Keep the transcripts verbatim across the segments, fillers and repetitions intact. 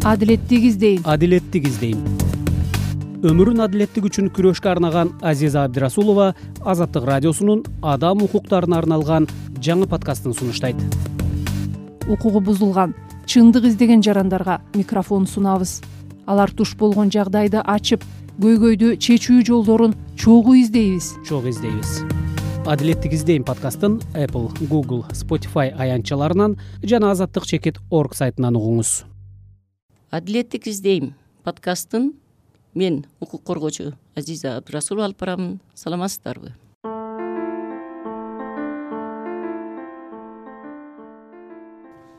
Адилеттик издейм. Адилеттик издейм. Өмүрүн адилеттик үчүн күрөшкө арнаган Азиза Абдирасулова Азаттык радиосунун адам укуктарына арналган жаңы подкастын сунуштайт. Укугу бузулган, чындык издеген жарандарга микрофон сунабыз. Алар туш болгон жагдайды ачып, көйгөйдү чечүү жолдорун чогуу издейбиз. Чогуу издейбиз. Адилеттик издейм подкастын Apple, Google, Spotify аянтчаларынан жана азаттык чекит точка орг сайтынан угуңуз. Адилеттик издейм подкастын мен укук коргоочу Азиза Абдирасулова алып барамын. Саламатсыздарбы?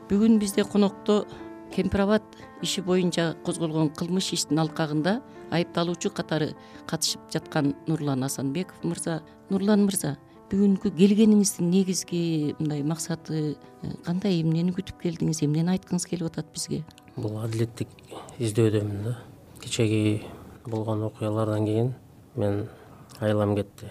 Бүгүн бизде конокто Кемпирабад иши боюнча козголгон кылмыш иштин алкагында айыпталуучу катары катышып жаткан Нурлан Асанбеков мырза. Нурлан мырза, бүгүнкү келгениңиздин негизги мындай максаты кандай? Эмнени күтүп келдиңиз? Эмнени айткыңыз келип атат бизге? Бул адилеттик издөөдөмүн да. Кечеги болгон окуялардан кийин мен айлам кетти.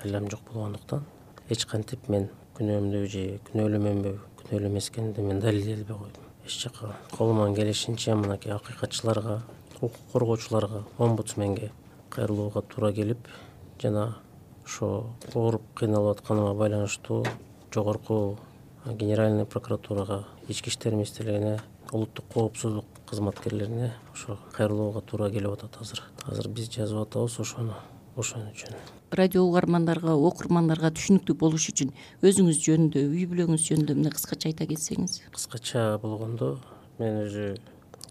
Айлам жок болгондуктан эч кантип мен күнөөмдү же күнөөлүүмүнбү, күнөөлүү эмес экенин мен далилдей албай койдум. Эч жака колуман келишинче мынакей акыйкатчыларга, укук коргоочуларга, омбудсменге кайрылууга туура келип, жана ошо ооруп кыйналып атканыма байланыштуу жогорку генеральный прокуратурага, ички иштер министрлигине, улуттук коопсуздук кызматкерлерине ошо кайрылууга туура келип атат азыр. Азыр биз жазып атабыз ошону, ошон үчүн. Радио угармандарга, окурмандарга түшүнүктүү болуш үчүн өзүңүз жөнүндө, үй бүлөңүз жөнүндө мына кыскача айта кетсеңиз. Кыскача болгондо, мен өзү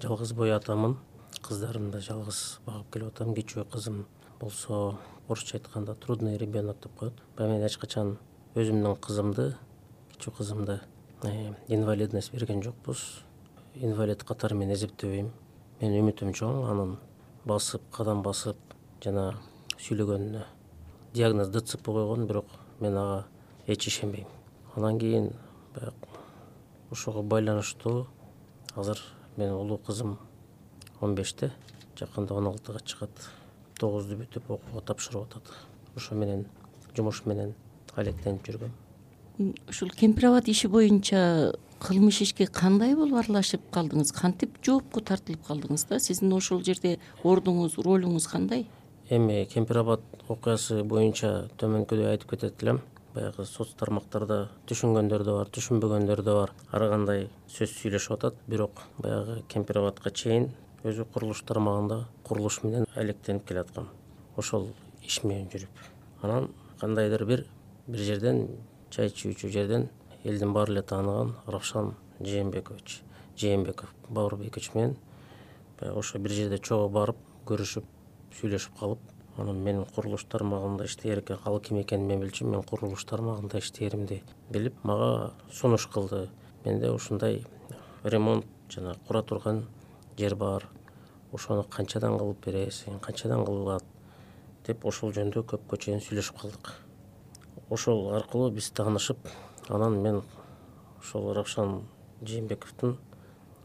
жалгыз бой атамын. Кыздарымды да жалгыз багып келип атам. Кичүү кызым болсо орусча айтканда трудный ребенок деп коет. Баягы мен эч качан өзүмдүн кызымды, кичүү кызымды инвалидность берген жокпуз. Инвалид катары мен эсептебейм. Мен үмүтүм чоң, анын басып, кадам басып жана сүйлөгөнүнө. Диагноз ДЦП койгон, бирок мен ага эч ишенбейм. Андан кийин баягы ошого байланыштуу азыр менин улуу кызым он беште, жакында он алтыга чыгат. тогузду бүтүп окууга тапшырып атат. Ошо менен жумуш менен алектенип жүргөм. Ушул Кемпирабад иши боюнча кылмыш ишке кандай болуп аралашып калдыңыз? Кантип жоопко тартылып калдыңыз да? Сиздин ошол жерде ордуңуз, ролуңуз кандай? Эми Кемпирабад окуясы боюнча төмөнкүдөй айтып кетет элем. Баягы соц тармактарда түшүнгөндөр да бар, түшүнбөгөндөр да бар. Ар кандай сөз сүйлөшүп атат, бирок баягы Кемпирабадка чейин өзү курулуш тармагында курулуш менен алектенип келаткам. Ошол иш менен жүрүп, анан кандайдыр бир бир жерден, чай ичүүчү жерден элдин баары эле тааныган Равшан Жээнбекович, Жээнбеков Бауырбекович менен баягы ошо бир жерде чогуу барып көрүшүп, сүйлөшүп калып, анан менин курулуш тармагында иштээр экен, ал ким экенин мен билчүмүн, мен курулуш тармагында иштээримди билип, мага сунуш кылды. Менде ушундай ремонт жана кура турган жер бар. Ошону канчадан кылып бересиң, канчадан кылат деп ошол жөнүндө көпкө чейин сүйлөшүп калдык. Ошол аркылуу биз таанышып, анан мен ошол Равшан Жээнбековдун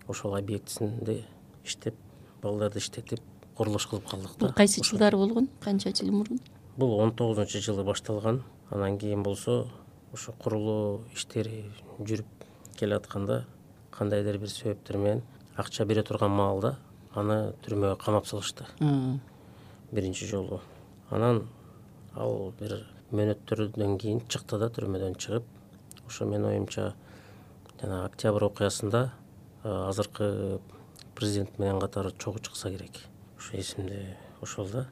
ошол объектисинде иштеп, балдарды иштетип, курулуш кылып калдык да. Бул кайсы жылдары болгон? Канча жыл мурун? Бул он тогузунчу жылы башталган. Анан кийин болсо ошо курулуу иштери жүрүп келатканда кандайдыр бир себептер менен акча бере турган маалда аны түрмөгө камап салышты. Биринчи жолу. Анан ал бир мөөнөттөрдөн кийин чыкты да, түрмөдөн чыгып, ошо менин оюмча жана октябрь окуясында азыркы президент менен катары чогуу чыкса керек. Ошо эсимде ошол да.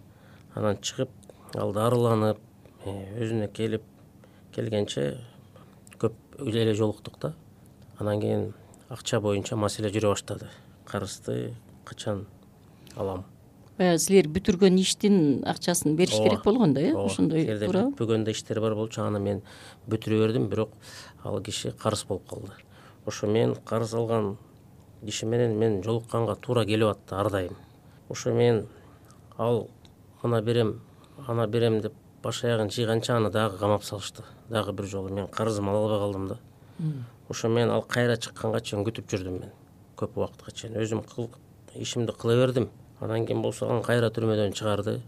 Анан чыгып, ал дарыланып, өзүнө келип келгенче көп эле жолуктук да. Анан кийин акча боюнча маселе жүрө баштады. Карызды качан алам? Баягы силер бүтүргөн иштин акчасын бериш керек болгон да, э? Ошондой туура. Бүтпөгөндө иштер бар болчу, аны мен бүтүрө бердим, бирок ал киши карыз болуп калды. Ошо мен карыз алган киши менен мен жолукканга туура келип атты ар дайым. Ошо мен ал ана берем, ана берем деп баш аягын жыйганча аны дагы камап салышты. Дагы бир жолу мен карызымды ала албай калдым да. Ошо мен ал кайра чыкканга чейин күтүп жүрдүм мен. Көп убакытка чейин өзүм ишимди кыла бердим. Анан кийин болсо аны кайра түрмөдөн чыгарды.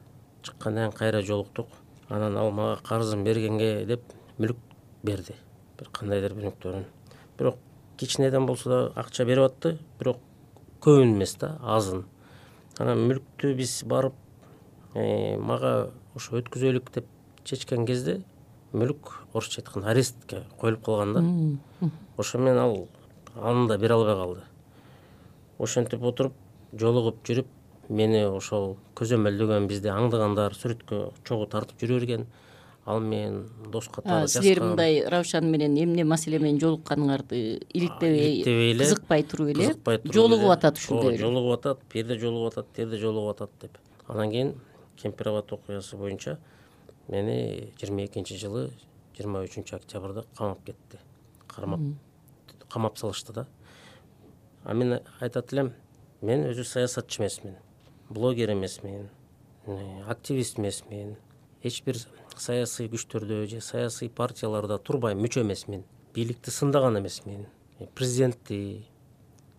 Чыккандан кийин кайра жолуктук. Анан ал мага карызын бергенге деп мүлк берди. Бир кандайдыр бир мүктөрүн. Бирок кичинеден болсо да акча берип атты, бирок көбүн эмес да, азын. Анан мүлктү биз барып мага ошо өткүзөлүк деп чечкен кезде мүлк орусча айтканда арестке коюлуп калган да. Ошо менен ал аны да бере албай калды. Ошентип отуруп жолугуп жүрүп мени ошол көзөмөлдөгөн, бизди аңдыгандар сүрөткө чогуу тартып жүрө берген. Ал менен дос катары жазган. Силер мындай Раушан менен эмне маселе менен жолукканыңарды иликтебей, кызыкпай туруп эле жолугуп атат ушундай эле. Жолугуп атат, бир жерде жолугуп атат, бир жерде жолугуп атат деп. Анан кийин Кемпирабад окуясы боюнча мени жыйырма экинчи жылы жыйырма үчүнчү октябрда камап кетти. Кармап камап салышты да. А мен айтат элем, мен өзү саясатчы эмесмин, блогер эмесмин, активист эмесмин, эч бир саясий күчтөрдө же саясий партияларда турбай мүчө эмесмин, бийликти сындаган эмесмин, президентти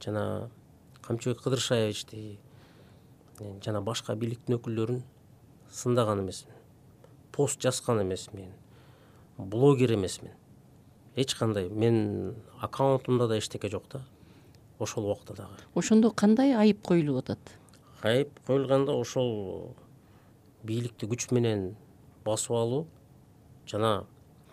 жана Камчыбек Кыдыршаевичти жана башка бийликтин өкүлдөрүн сындаган эмесмин, пост жазган эмесмин, блогер эмесмин. Эч кандай мен аккаунтумда да эчтеке жок да. Ошол убакта дагы. Ошондо кандай айып коюлуп атат? Айып коюлганда ошол бийликти күч менен басып алуу жана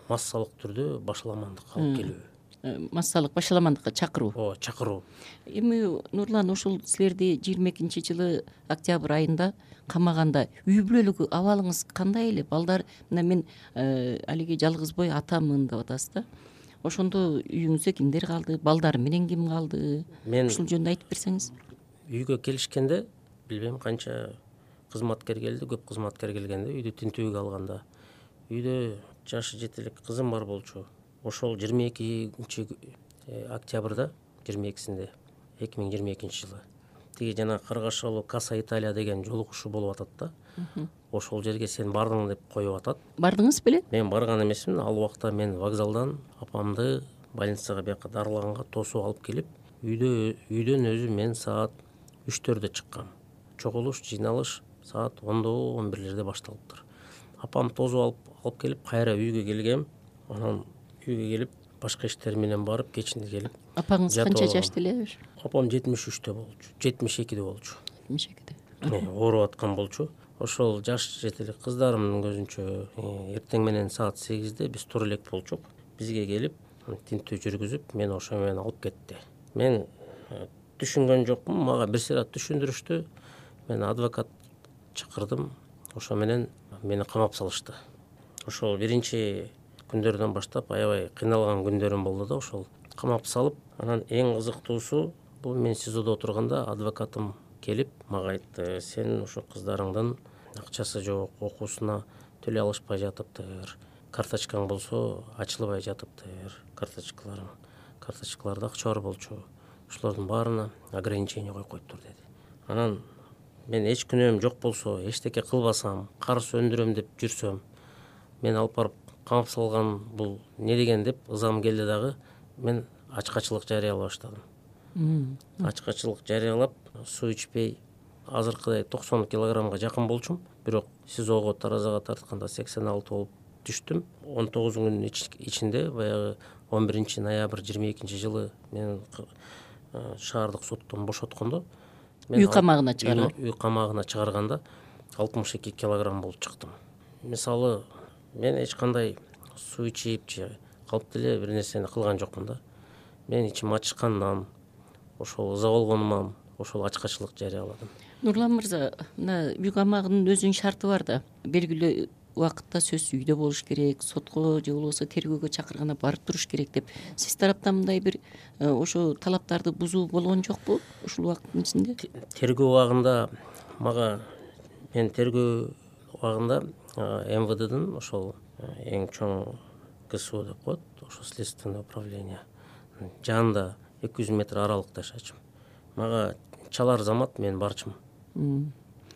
массалык түрдө башаламандыкка алып келүү. Массалык башаламандыкка чакыруу. Ооба, чакыруу. Эми Нурлан, ошол силерди жыйырма экинчи жылы октябрь айында камаганда үй бүлөлүк абалыңыз кандай эле? Балдар, мына мен алиги жалгыз бой атамын деп атасыз да. Ошондо үйүңүздө кимдер калды? Балдар менен ким калды? Мен ушул жөнүндө айтып берсеңиз. Үйгө келишкенде билбейм канча кызматкер келди, көп кызматкер келгенде, үйдү тинтүүгө алганда үйдө жашы жете элек кызым бар болчу. Ошол жыйырма экинчи октябрда, жыйырма экисинде эки миң жыйырма экинчи жылы тиги жана Каргашалуу Каса Италия деген жолугушуу болуп атат да. Ошол жерге сен бардың деп коюп атат. Бардыңыз беле? Мен барган эмесмин. Ал убакта мен вокзалдан апамды больницага бияка дарылаганга тосуп алып келип, үйдө үйдөн өзү мен саат үчтөрдө чыккам. Чогулуш, жыйналыш саат ондо он бирлерде башталыптыр. Апам тосуп алып алып келип кайра үйгө келгем. Анан үйгө келип башка иштер менен барып кечинде келип. Апаңыз канча жашта эле? Апам жетимиш үчтө болчу, жетимиш экиде болчу. жетимиш экиде. Ооруп аткан болчу. Ошол жаш жете элек кыздарымдын көзүнчө эртең менен саат сегизде биз тура элек болчук. Бизге келип тинтүү жүргүзүп, мени ошо менен алып кетти. Мен түшүнгөн жокмун, мага бир сыйра түшүндүрүштү. Мен адвокат чакырдым. Ошо менен мени камап салышты. Ошол биринчи күндөрдөн баштап аябай кыйналган күндөрүм болду да. Ошол камап салып, анан эң кызыктуусу бул мен СИЗОдо отурганда адвокатым келип мага айтты: сен ошо кыздарыңдын акчасы жок, окуусуна төлөй алышпай жатыптыр, карточкаң болсо ачылбай жатыптыр, карточкаларың карточкаларда акча бар болчу, ошолордун баарына ограничение коюп коюптур деди. Анан мен эч күнөөм жок болсо, эчтеке кылбасам, карыз өндүрөм деп жүрсөм, мен алып барып камап салган бул не деген деп ызам келди дагы. Мен ачкачылык жарыялай баштадым. Ачкачылык жарыялап, суу ичпей азыркыдай токсон килограммга жакын болчум. Бирок СИЗОго таразага тартканда сексен алты болуп түштүм. он тогуз күнүн ичинде, баягы он биринчи ноябрь жыйырма экинчи жылы мен шаардык соттон бошоткондо, үй камагына чыгарган. Үй камагына чыгарганда алтымыш эки килограмм болуп чыктым. Мисалы, мен эч кандай суу ичип же калп деле бир нерсени кылган жокмун да. Мен ичим ачышкандан, ошол ыза болгонуман ошол ачкачылык жарыяладым. Нурлан мырза, мына үй камагынын өзүнүн шарты бар да. Белгилүү убакытта сөз үйдө болуш керек, сотко же болбосо тергөөгө чакырганда барып туруш керек деп. Сиз тараптан мындай бир ошо талаптарды бузуу болгон жокпу ушул убакыттын ичинде? Тергөө убагында мага мен тергөө убагында МВДдин ошол эң чоң КСУ деп коет, ошо следственное управление жанында эки жүз метр аралыкта жашачым. Мага чалар замат мен барчым.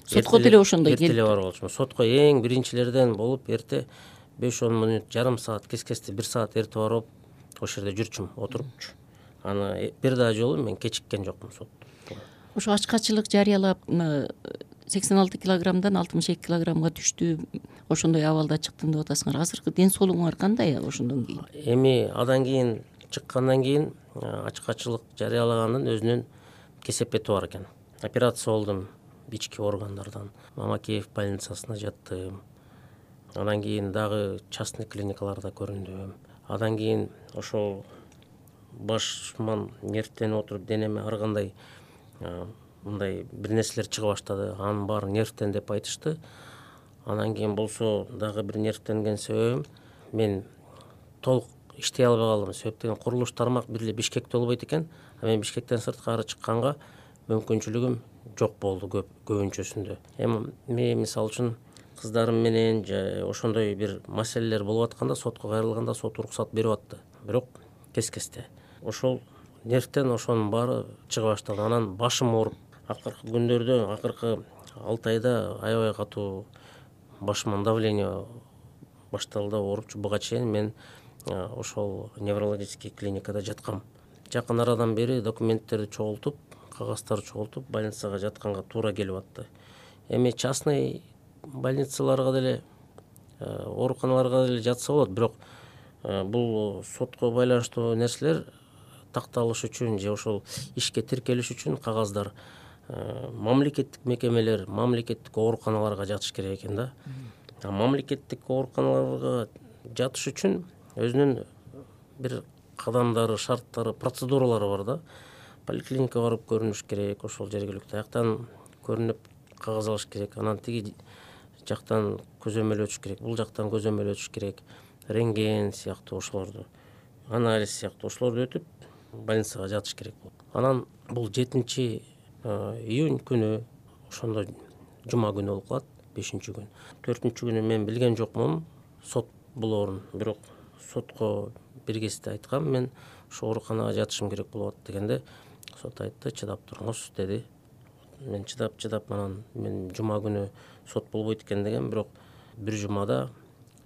Сотко деле ошондой келип. Эртеле бар болчумун. Сотко эң биринчилерден болуп, эрте беш он мүнөт, жарым саат, кескесте бир саат эрте барып, ошол жерде жүрчүм, отурупчу. Аны бир да жолу мен кечиккен жокмун сотто. Ошо ачкачылык жарыялап, сексен алты килограммдан алтымыш эки килограммга түштү, ошондой абалда чыктым деп атасыңар. Азыркы ден соолугуңар кандай ошондон кийин? Эми адан кийин чыккандан кийин ачкачылык жарыялагандын өзүнүн кесепети бар экен. Операция болдум ички органдардан. Мамакеев больницасына жаттым. Анан кийин дагы частный клиникаларда көрүндүм. Андан кийин ошол башыман нервтенип отуруп денеме ар кандай мындай бир нерселер чыга баштады. Анын баары нервтен деп айтышты. Анан кийин болсо дагы бир нервтенген себебим мен толук иштей албай калдым. Себеп деген курулуш тармак бир эле Бишкекте болбойт экен. А мен Бишкектен сырткары чыкканга мүмкүнчүлүгүм жок болду көп көбүнчөсүндө. Эми мен мисалы үчүн кыздарым менен же ошондой бир маселелер болуп атканда сотко кайрылганда сот уруксат берип атты. Бирок кес-кесте. Ошол нервтен ошонун баары чыга баштады. Анан башым ооруп, акыркы күндөрдө, акыркы алты айда аябай катуу башыман давление башталды, оорупчу. Буга чейин мен ошол неврологический клиникада жаткам. Жакын арадан бери документтерди чогултуп, кагаздарды чогултуп, больницага жатканга туура келип атты. Эми частный больницаларга деле, ооруканаларга деле жатса болот, бирок бул сотко байланыштуу нерселер такталыш үчүн же ошол ишке тиркелиш үчүн кагаздар мамлекеттик мекемелер, мамлекеттик ооруканаларга жатыш керек экен да. Мамлекеттик ооруканаларга жатыш үчүн өзүнүн бир кадамдары, шарттары, процедуралары бар да. Поликлиникага барып көрүнүш керек, ошол жергиликтүү аяктан көрүнүп кагаз алыш керек. Анан тиги жактан көзөмөл өтүш керек, бул жактан көзөмөл өтүш керек. Рентген сыяктуу ошолорду, анализ сыяктуу ошолорду өтүп больницага жатыш керек болот. Анан бул жетинчи июнь күнү, ошондо жума күнү болуп калат, бешинчи күн. төртүнчү күнү мен билген жокмун сот болоорун, бирок сотко бир кезде айткам, мен ошо ооруканага жатышым керек болуп атат дегенде, сот айтты, чыдап туруңуз деди. Мен чыдап чыдап анан мен жума күнү сот болбойт экен деген, бирок бир жумада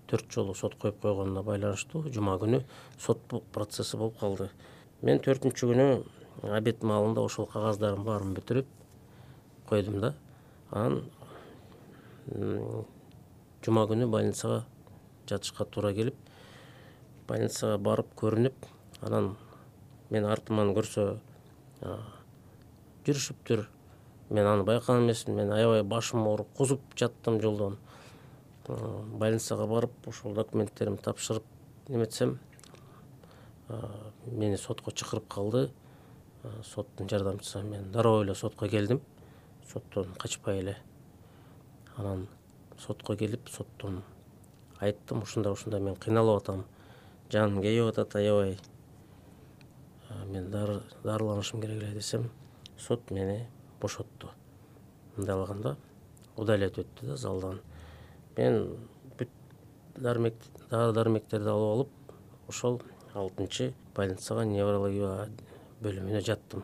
төрт жолу сот коюп койгонуна байланыштуу жума күнү сот процесси болуп калды. Мен төртүнчү күнү обед маалында ошол кагаздардын баарын бүтүрүп койдум да. Анан жума күнү больницага жатышка туура келип, больницага барып көрүнүп, анан мен артыман көрсө жүрүшүптүр. Мен аны байкаган эмесмин. Мен аябай башым ооруп, кузуп жаттым жолдон. Больницага барып, ошол документтеримди тапшырып неметсем, мени сотко чакырып калды. Соттун жардамчысы. Мен дароо эле сотко келдим. Соттон качпай эле. Анан сотко келип, соттон айттым, ушундай ушундай мен кыйналып атам. Жаным кейип атат аябай. Мен дарыланышым керек эле десем, сот мени бошотту. Мындай алганда удалять өттү да залдан. Мен бүт дармек, дары дармектерди алып алып, ошол алтынчы больницага неврология бөлүмүнө жаттым.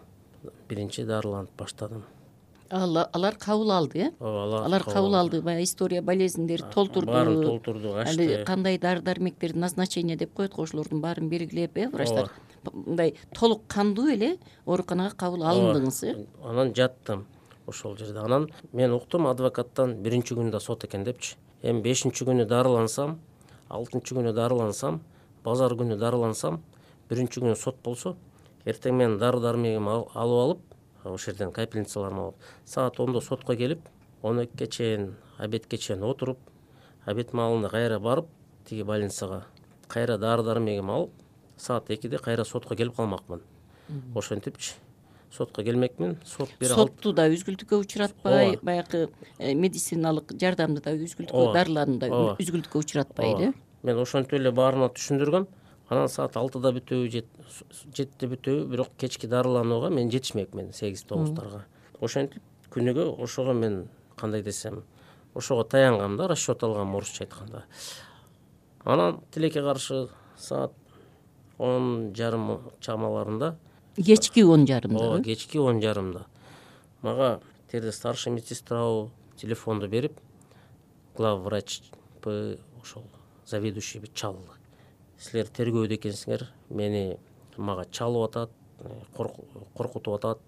Биринчи дарыланып баштадым. Алар кабыл алды, э? Ооба, алар кабыл алды. Баягы история болезньдерди толтурду. Баарын толтурду, ачты. Али кандай дары дармектерди назначение деп коет го, ошолордун баарын белгилеп, э, врачтар. Мындай толук кандуу эле ооруканага кабыл алындыңыз, э? Анан жаттым ошол жерде. Анан мен уктум адвокаттан биринчи күндө сот экен депчи. Эми бешинчи күнү дарылансам, алтынчы күнү дарылансам, базар күнү дарылансам, биринчи күнү сот болсо, эртең мен дары дармегимди алып алып, ошол жерден капельницаларымды алып, саат ондо сотко келип, он экиге чейин, обедке чейин отуруп, обед маалында кайра барып, тиги больницага кайра дары дармегимди алып, саат экиде кайра сотко келип калмакмын. Ошентипчи сотко келмекмин. Сот бере алып. Сотту да үзгүлтүккө учуратпай, баягы медициналык жардамды да үзгүлтүккө, дарыларды да үзгүлтүккө учуратпай эле. Мен ошентип эле баарына түшүндүргөм. Анан саат алтыда бүтөбү, жетиде бүтөбү, бирок кечки дарыланууга мен жетишмекмин сегиз тогуздарга. Ошентип күнүгө ошого мен кандай десем, ошого таянгам да, расчет алгам орусча айтканда. Анан тилекке каршы саат он жарым чамаларында, кечки он жарымда. Ооба, кечки он жарымда. Мага терде старший медсестрабы телефонду берип, главврач ошол заведующий чалды. Силер тергөөдө экенсиңер, мени мага чалып атат, коркутуп атат,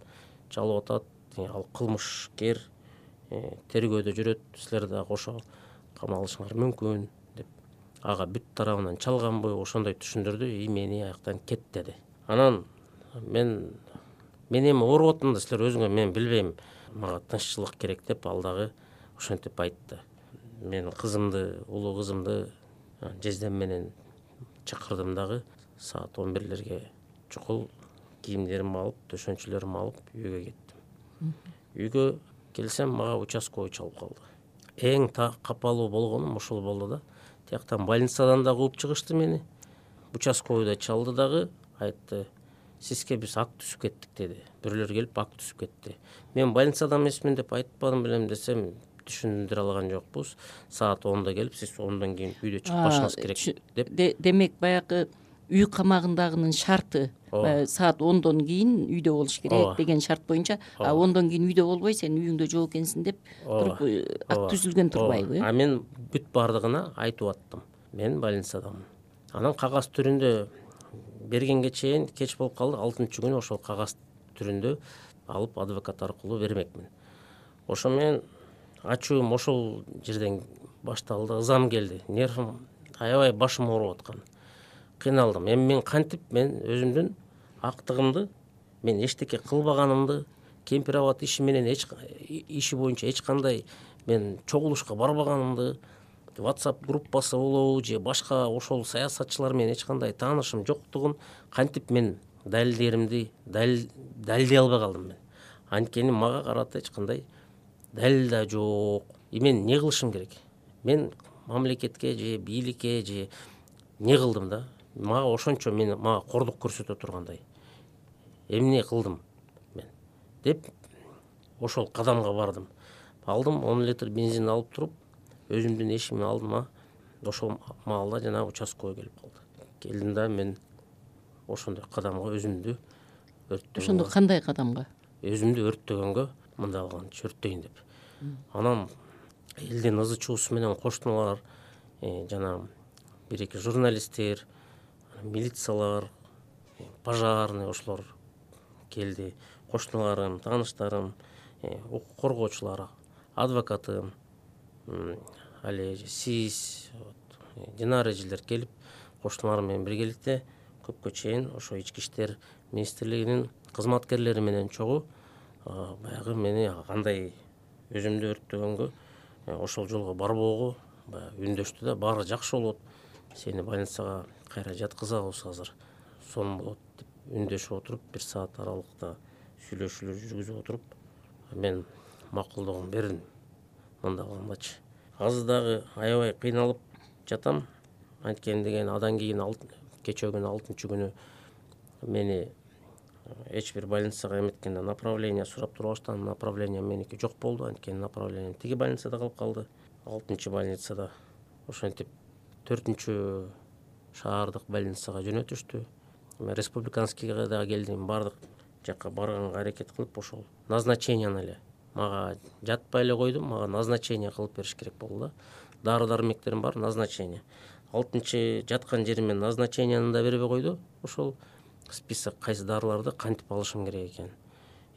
чалып атат, ал кылмышкер, тергөөдө жүрөт, силер дагы ошо камалышыңар мүмкүн деп. Ага бүт тарабынан чалганбы, ошондой түшүндүрдү, и мени аяктан кет деди. Анан мен мен эми ооруп атам да силер өзүңөр мен билбейм, мага тынччылык керек деп ал дагы ошентип айтты. Мен кызымды, улуу кызымды жездем менен чакырдым дагы, саат он бирлерге чукул кийимдеримди алып, төшөнчөлөрүмдү алып үйгө кеттим. Үйгө келсем мага участковый чалып калды. Эң капалуу болгонум ошол болду да. Тияктан больницадан да кууп чыгышты мени. Участковый да чалды дагы, айтты: "Сизге биз акт түзүп кеттик" деди. Бирөөлөр келип акт түзүп кетти. Мен больницада эмесмин деп айтпадым белем десем, түшүндүрө алган жокпуз. Саат онда келип, сиз ондон кийин үйдө чыкпашыңыз керек деп. Демек баягы үй камагындагынын шарты саат ондон кийин үйдө болуш керек деген шарт боюнча, а ондон кийин үйдө болбой сен үйүңдө жок экенсиң деп туруп акт түзүлгөн турбайбы? А мен бүт бардыгына айтып аттым. Мен больницадамын. Анан кагаз түрүндө бергенге чейин кеч болуп калды. алтынчы күнү ошол кагаз түрүндө алып адвокат аркылуу бермекмин. Ошо мен ачуум ошол жерден башталды, ызам келди. Нервим аябай башым ооруп аткан. Кыйналдым. Эми мен кантип мен өзүмдүн актыгымды, мен эчтеке кылбаганымды, кемпирабад иши менен эч иши боюнча эч кандай мен чогулушка барбаганымды, WhatsApp группасы болобу же башка ошол саясатчылар менен эч кандай таанышым жоктугун кантип мен далилдеримди далилдей албай калдым мен. Анткени мага карата эч кандай далил да жок. И мен эмне кылышым керек? Мен мамлекетке же бийликке же эмне кылдым да? Мага ошончо мен мага кордук көрсөтө тургандай эмне кылдым мен деп ошол кадамга бардым. Алдым он литр бензин алып туруп, өзүмдүн эшигиме алдыма ошол маалда жана участковый келип калды. Келдим да мен ошондой кадамга өзүмдү өрттөгөнгө. Ошондо кандай кадамга? Өзүмдү өрттөгөнгө, мындай кылганчы өрттөйүн деп. Анан элдин ызы чуусу менен коштулар, жана бир-эки журналисттер, милициялар, пожарный ошолор келди. Коштуларым, тааныштарым, укук коргоочулар, адвокатым, али сиз, Динара эжилер келип, коштуларым менен биргеликте көпкө чейин ошо ички иштер министрлигинин кызматкерлери менен чогуу баягы мени кандай өзүмдү өрттөгөнгө, ошол жолго барбоого баягы үндөштү да, баары жакшы болот. Сени больницага кайра жаткызабыз азыр. Сон болот деп үндөшүп отуруп, бир саат аралыкта сүйлөшүүлөр жүргүзүп отуруп, мен макулдугун бердим. Мындай кылгандачы. Азыр дагы аябай кыйналып жатам. Анткени деген адан кийин кечээ күнү алтынчы күнү мени эч бир больницага эметкенде направление сурап турбаштан, направление меники жок болду. Анткени направление тиги больницада калып калды. алтынчы больницада ошентип төртүнчү шаардык больницага жөнөтүштү. Мен республиканскийге да келдим, бардык жакка барганга аракет кылып, ошол назначениени эле мага жатпай эле койдум, мага назначение кылып бериш керек болду да. Дары-дармектерим бар, назначение. алтынчы жаткан жеримен назначениени да бербей койду. Ошол список кайсы дарыларды кантип алышым керек экен.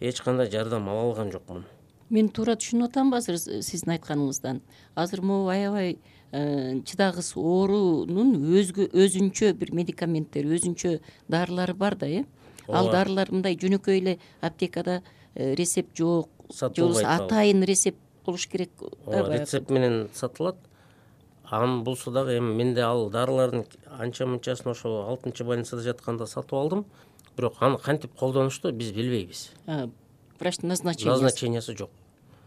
Эч кандай жардам ала алган жокмун. Мен туура түшүнүп атамбы азыр сиздин айтканыңыздан? Азыр могу аябай чыдагыс оорунун өзгө өзүнчө бир медикаменттери, өзүнчө дарылары бар да, э? Ал дарылар мындай жөнөкөй эле аптекада рецепт жок, же болбосо атайын рецепт болуш керек да, баягы. Рецепт менен сатылат. Анын болсо дагы эми менде ал дарылардын анча-мынчасын ошол алтынчы больницада жатканда сатып алдым. Бирок аны кантип колдонушту биз билбейбиз. Врачтын назначениясы. Назначениясы жок.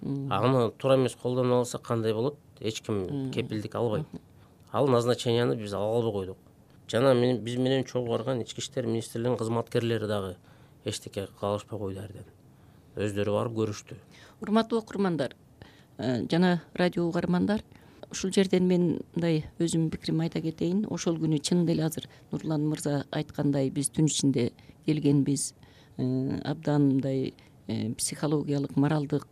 Аны туура эмес колдоно алса кандай болот? Эч ким кепилдик албайт. Ал назначенияны биз ала албай койдук. Жана мен биз менен чогуу барган ички иштер министрлигинин кызматкерлери дагы эчтеке кыла алышпай койду эрден. Өздөрү барып көрүштү. Урматтуу окурмандар жана радио угармандар, ушул жерден мен мындай өзүмдүн пикиримди айта кетейин. Ошол күнү чын эле азыр Нурлан мырза айткандай биз түн ичинде келгенбиз, абдан мындай психологиялык, моралдык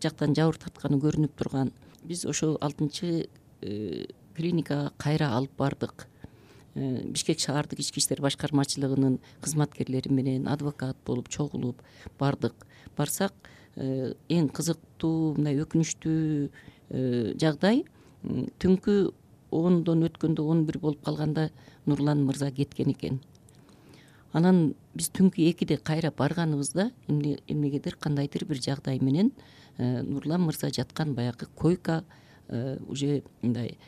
жактан жабыр тартканы көрүнүп турган. Биз ошол алтынчы клиникага кайра алып бардык. Бишкек шаардык ички иштер башкармачылыгынын кызматкерлери менен адвокат болуп чогулуп бардык. Барсак эң кызыктуу, мындай өкүнүчтүү жагдай, түнкү ондон өткөндө он бир болуп калганда Нурлан мырза кеткен экен. анан биз түнкү экиде кайра барганыбызда эмнегедир кандайдыр бир жагдай менен Нурлан мырза жаткан баягы койка уже мындай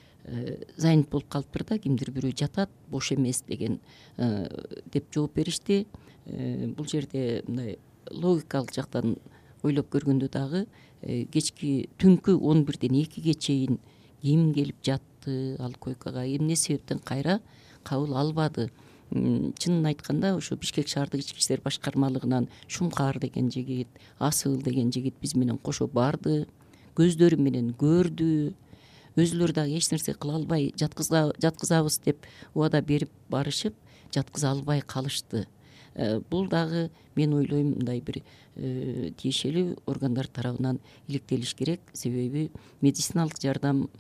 занят болуп калыптыр да, кимдир бирөө жатат, бош эмес деген деп жооп беришти. Бул жерде мындай логикалык жактан ойлоп көргөндө дагы кечки түнкү он бирден экиге чейин ким келип жатты ал койкага, эмне себептен кайра кабыл албады? Чынын айтканда ошо Бишкек шаардык ички иштер башкармалыгынан Шумкар деген жигит, Асыл деген жигит биз менен кошо барды, көздөрү менен көрдү. Өзүлөрү дагы эч нерсе кыла албай жаткызабыз деп убада берип барышып, жаткыза албай калышты. Бул дагы мен ойлойм мындай бир тиешелүү органдар тарабынан иликтелиш керек, себеби медициналык жардам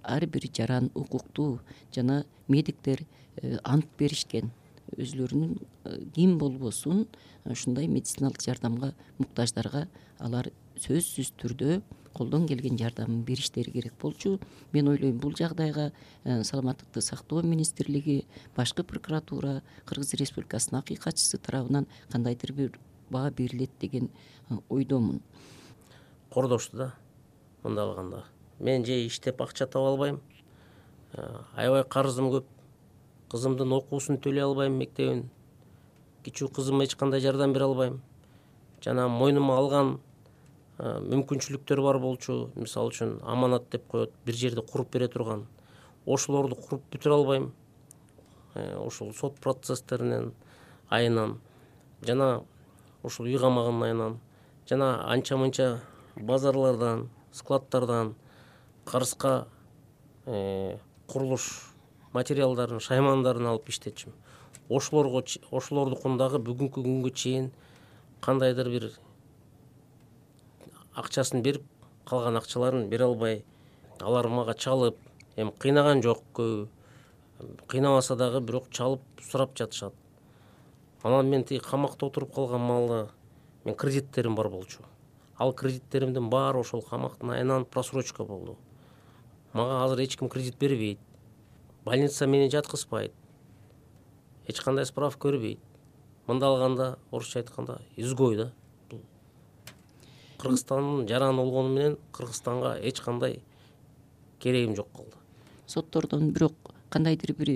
ар бир жаран укуктуу жана медиктер ант беришкен. Өзүлөрүнүн ким болбосун ушундай медициналык жардамга муктаждарга алар сөзсүз түрдө колдон келген жардамын бериштери керек болчу. Мен ойлойм бул жагдайга саламаттыкты сактоо министрлиги, башкы прокуратура, Кыргыз Республикасынын акыйкатчысы тарабынан кандайдыр бир баа берилет деген ойдомун. Кордошту да мындай алганда. Мен же иштеп акча таба албайм, аябай карызым көп, кызымдын окуусун төлөй албайм, мектебин, кичүү кызыма эч кандай жардам бере албайм. Жана мойнума алган мүмкүнчүлүктөр бар болчу, мисалы үчүн аманат деп коет, бир жерде куруп бере турган, ошолорду куруп бүтүрө албайм. Ошол сот процесстеринен айынан жана ушул үй камагынын айынан жана анча мынча базарлардан, складтардан карызга курулуш материалдарын, шаймандарын алып иштетчүм. Ошолорго ошолордукун дагы бүгүнкү күнгө чейин кандайдыр бир акчасын берип, калган акчаларын бере албай, алар мага чалып, эми кыйнаган жок, көбү кыйнабаса дагы бирок чалып сурап жатышат. Анан мен тиги камакта отуруп калган маалда мен кредиттерим бар болчу. Ал кредиттеримдин баары ошол камактын айынан просрочка болду. Мага азыр эч ким кредит бербейт. Больница мени жаткызбайт. Эч кандай справка бербейт. Мындай алганда, орусча айтканда, изгой да. Кыргызстандын жараны болгону менен Кыргызстанга эч кандай керегим жок калды. Соттордон бирок кандайдыр бир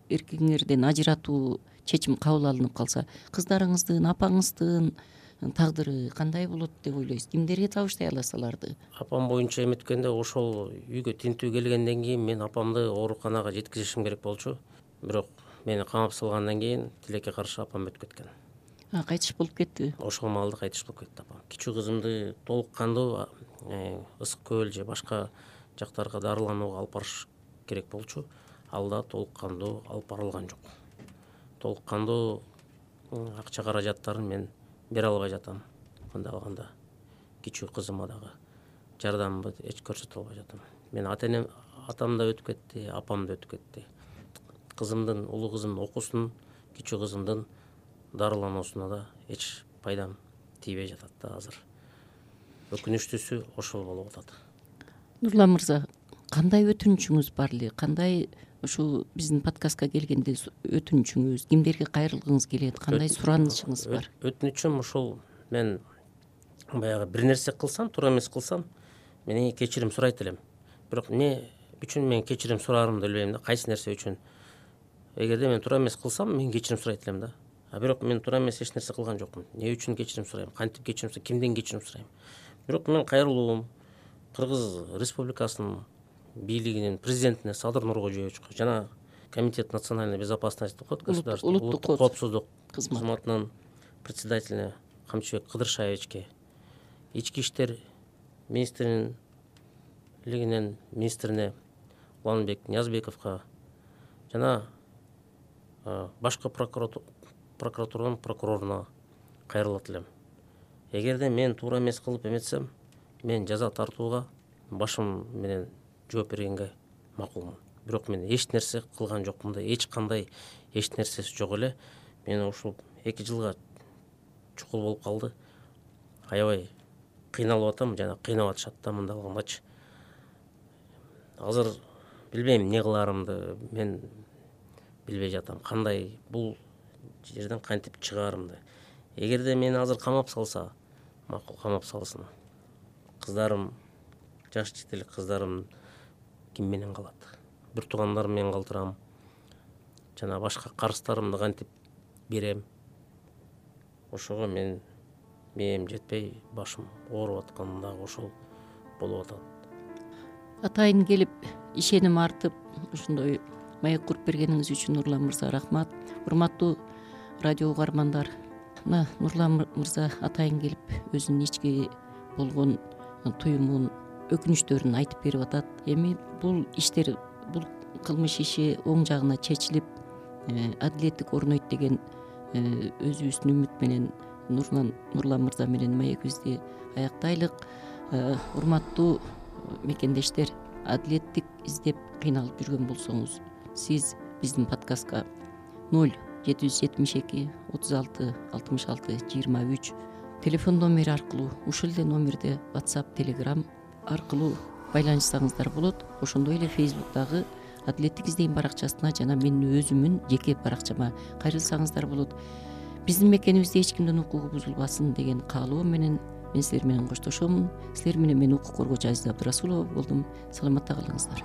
эркиңерден ажыратуу чечим кабыл алынып калса, кыздарыңыздын, апаңыздын тагдыры кандай болот деп ойлойсуз? Кимдерге табыштай аласыз аларды? Апам боюнча эметкенде ошол үйгө тинтүү келгенден кийин мен апамды ооруканага жеткизишим керек болчу. Бирок мени камап салгандан кийин тилекке каршы апам өтүп кеткен. Кайтыш болуп кетти. Ошол маалда кайтыш болуп кетти апам. Кичүү кызымды толук кандуу ысык көл же башка жактарга дарыланууга алып барыш керек болчу. Ал да толук кандуу алып барылган жок. Толук кандуу акча каражаттарын мен бере албай жатам. Мындай алганда кичүү кызыма дагы жардамымды эч көрсөтө албай жатам. Мен ата-энем, атам да өтүп кетти, апам да өтүп кетти. Кызымдын, улуу кызымдын окуусунун, кичүү кызымдын дарылануусуна да эч пайдам тийбей жатат да азыр. Өкүнүчтүүсү ошол болуп атат. Нурлан мырза, кандай өтүнүчүңүз бар эле? Кандай ушул биздин подкастка келгенде өтүнүчүңүз, кимдерге кайрылгыңыз келет, кандай суранычыңыз бар? Өтүнүчүм ушул, мен баягы бир нерсе кылсам, туура эмес кылсам, менен кечирим сурайт элем. Бирок эмне үчүн мен кечирим сураарымды билбейм да, кайсы нерсе үчүн. Эгерде мен туура эмес кылсам, мен кечирим сурайт элем да. А бирок мен туура эмес эч нерсе кылган жокмун. Эмне үчүн кечирим сурайм? Кантип кечирим сурайм? Кимден кечирим сурайм? Бирок мен кайрылуум Кыргыз Республикасынын бийлигинин президентине Садыр Нуркожоевичке жана Комитет национальной безопасности деп коет, государственный улуттук коопсуздук кызматынын председателине Камчыбек Кыдыршаевичке, ички иштер министрлигинин министрине Уланбек Ниязбековго жана башкы прокуратуранын прокуроруна кайрылат элем. Эгерде мен туура эмес кылып эметсем, мен жаза тартууга башым менен жооп бергенге макулмун. Бирок мен эч нерсе кылган жокмун да, эч кандай эч нерсеси жок эле. Мен ушул эки жылга чукул болуп калды. Аябай кыйналып атам жана кыйнап атышат да мындай алгандачы. Азыр билбейм эмне кыларымды, мен билбей жатам. Кандай бул жерден кантип чыгаарымды. Эгерде мени азыр камап салса, макул, камап салсын. Кыздарым, жаш жетелик кыздарым ким менен калат? Бир туугандарым менен калтырам. Жана башка карыздарымды кантип берем? Ошого мен мээм жетпей, башым ооруп аткан дагы ошол болуп атат. Атайын келип, ишеним артып, ушундай маек куруп бергениңиз үчүн Нурлан мырза рахмат. Урматтуу радио угармандар, мына Нурлан мырза атайын келип өзүнүн ички болгон туюмун, өкүнүчтөрүн айтып берип атат. Эми бул иштер, бул кылмыш иши оң жагына чечилип, адилеттик орнойт деген өзүбүздүн үмүт менен Нурлан Нурлан мырза менен маегибизди аяктайлык. Урматтуу мекендештер, адилеттик издеп кыйналып жүргөн болсоңуз, сиз биздин подкастка ноль жети жүз жетимиш эки отуз алты алтымыш алты жыйырма үч телефон номери аркылуу, ушул эле номерде WhatsApp, Telegram аркылуу байланышсаңыздар болот. Ошондой эле Facebook'тагы адилеттик издейм баракчасына жана менин өзүмүн жеке баракчама кайрылсаңыздар болот. Биздин мекенибизде эч кимдин укугу бузулбасын деген каалоо менен мен силер менен коштошомун. Силер менен мен укук коргоочу Азиза Абдрасулова болдум. Саламатта калыңыздар.